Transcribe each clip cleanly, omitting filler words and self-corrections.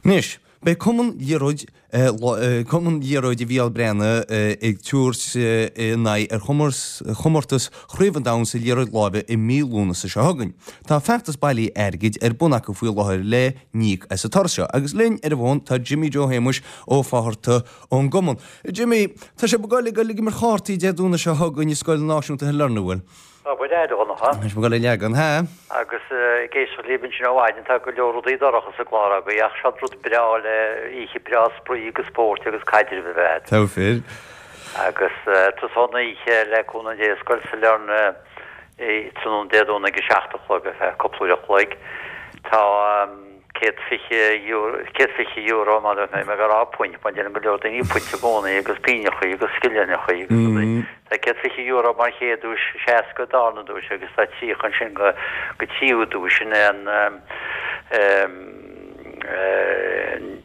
Anois, beidh Cumann Liathróid Cumann Liathróide Mhícheál Breathnaigh ag tabhairt a n-aghaidh ar chomórtas Chraobh an Domhain sa Liathróid Láimhe i mí Lúnasa seo chugainn. Tá feachtas bailithe airgid ar bun acu faoi láthair le n-íoc as an turas seo. Agus linn ar an bhfón tá Jimmy Joe Shéamuis Ó Fátharta ón gcumann. Jimmy, tá sibh ag goil ag imirt chártaí Dé Domhnaigh seo chugainn i Scoil Náisiúnta Shailearna, an bhfuil? Tá muid a Dhonncha. Tá sibh ag goil a leagan, ha? Agus ag éisteacht libh ansin ó mhaidin, tá go leor rudaí dorcha sa gclár agaibh ach seod rud breá le oíche breá spraoi agus spóirt agus caidrimh a bheith agat. Tá fíor. Agus tosóidh an oíche le cúnamh Dé i Scoil Sailearna tráthnóna Dé Domhnaigh ag a 7 a chlog ar feadh cúpla uair a chloig. Tá. €120, €120 mar a bheadh mé ag rá punt, mar deireann go leor daoine punt i gcónaí agus pingneachaí agus scillingeachaí agus rudaí. Tá €120 mar chéad duais, 60 darna duais agus tá 30 ansin go go tríú duais sin é an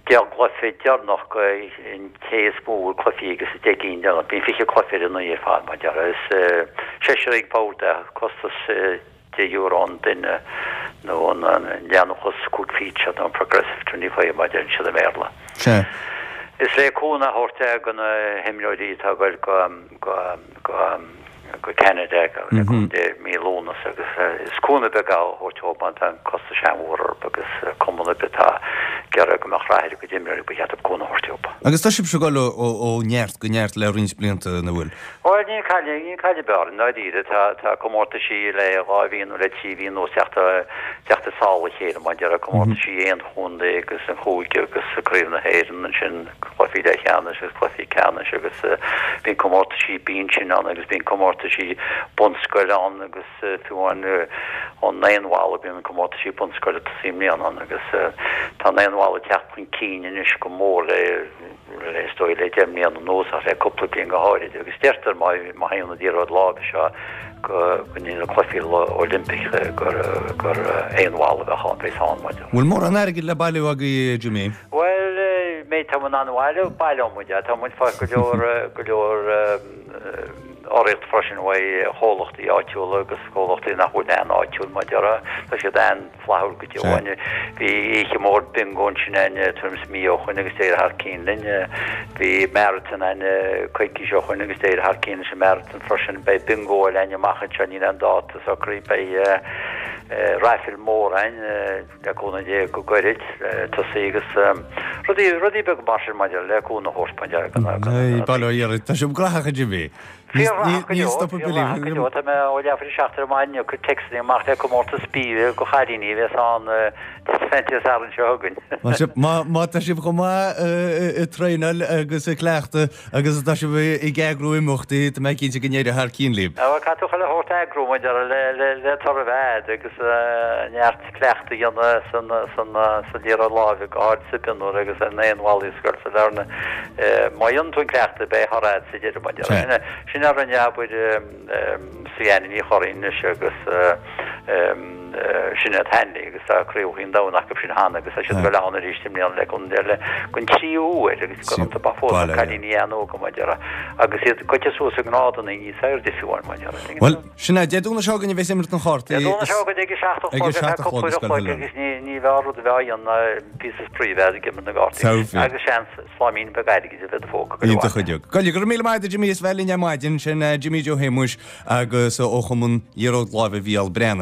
10 gcluiche deireanach go an té is mó a bhfuil cluichí agus 10 gcinn deireanach. Bíonn 20 cluiche ar an oíche ar fad mar déarfá. Is seisear ag bord é, costas €10 an duine nó an leanúnachas 5 phínte nó an Progressive 25 mar a deireann siad i mBéarla. Sea. Is le cúnamh a thabhairt é do na himreoirí atá ag goil go go go go Ceanada le cúnamh Dé mí Lúnasa agus is cúnamh beag é a thabhairt dóibh mar tá an costas an-mhór orthu agus cumann ar bith atá ag iarraidh go mbeadh rath ar a gcuid imreoirí ba cheart dóibh cúnamh a thabhairt dóibh. Agus tá sibhse ag dul ó neart go neart le roinnt blianta, an bhfuil? Bhuel, níl cailleadh, níl cailleadh ar bith orainn, i ndáiríre. Tá, tá comórtaisí le 2 mhí nó le 3 mhí anuas teacht, teacht i sála a chéile mar a déarfá, comórtaisí aon chontae agus an chúige agus Craobh na hÉireann ansin, cluichí leathcheannais agus cluichí ceannais agus bíonn comórtaisí binse ann agus bíonn comórtaisí bunscoile ann agus fiú amháin an naíonbhalla, bíonn comórtaisí bunscoile ag tosaí i mbliana ann agus tá an naíonbhalla ag teacht chun cinn anois go mór le is dóigh le 10 mbliana anuas ach le cúpla bliain go háirid agus deirtear má má théann an liathróid láimhe seo go go dtí na cluichí Oilimpeacha gur gur aon bhalla a bheadh ann bheas ann mar. Bhfuil mórán airgid le bailiú agaibh Jimmy? Bhuel méid tá muid in ann a bhailiú, baileoidh muid é. Tá muid fáil go leor go leor urraíocht freisin uaidh chomhlachtaí áitiúla agus comhlachtaí nach bhfuil an-áitiúil mar a déarfá. Tá siad an flaithiúil go deo againn. Bhí oíche mhór bingo ansin againn tuairim is mí ó shoin agus d'éirigh thar cinn linn. Bhí marathon againn coicís ó shoin agus d'éirigh thar cinn leis an marathon freisin. Beidh bingo eile againn amach anseo, níl aon dáta socraithe. Beidh raifil mór againn le cúnamh Dé go gairid le tosaí agus rudaí rudaí beaga mar sin maidir le cúnamh a thabhairt maidir le Bail ó Dhia oraibh. Tá sibh graitheach a Jimmy. Fíorghnóthach go leor, fíorghnóthach go leor. Tá mé ó leathuair tar éis 7 ar maidin ag cur téacsanna amach le comórtas bia do chailíní a bheas ann Dé Sathairn seo chugainn. Má tá sibh chomh maith ag traenáil agus ag cleachtadh agus atá sibh ag eagrú imeachtaí, tá mé cinnte go n-éireoidh thar cionn libh. Bhuel, caithfidh tú chuile shórt a eagrú maidir le toradh a bheith agat agus neart cleachtadh a dhéanamh sa liathróid láimhe, go háirid sa mhionúr agus ar na haon-bhallaí i Scoil Sailearna. Má dhéanann tú an cleachtadh, beidh toradh agat sa deireadh, mar a déarfá. Sin a rinne, abair, Suzanne Ní Churraoin anois agus Sinéad Hanley agus tá Craobhacha an Domhain acu sin cheana agus tá siad ag dul ann arís i mbliana le cúnamh Dé le don tríú huair agus go raibh ba fós na cailíní an-óga, mar a déarfá, agus iad gaibhte suas i ngrádanna níos airde fiú amháin, mar a déarfá. Sin é, Dé Domhnaigh seo chugainn a bheas imirt na gcártaí. Dé Domhnaigh seo chugainn ag a 7 a chlog ar feadh cúpla uair a chloig agus ní bheadh rud a bheadh á dhéanamh ná píosa spraoi a bheith ag imirt na gcártaí agus seans sláimín beag airgid a bheith i do phóca go Iontach go deo. Go raibh míle maith agat Jimmy as bheith linn ar maidin, sin Jimmy Joe Shéamuis agus ó Chumann Liathróid Láimhe Mhícheál Breathnach.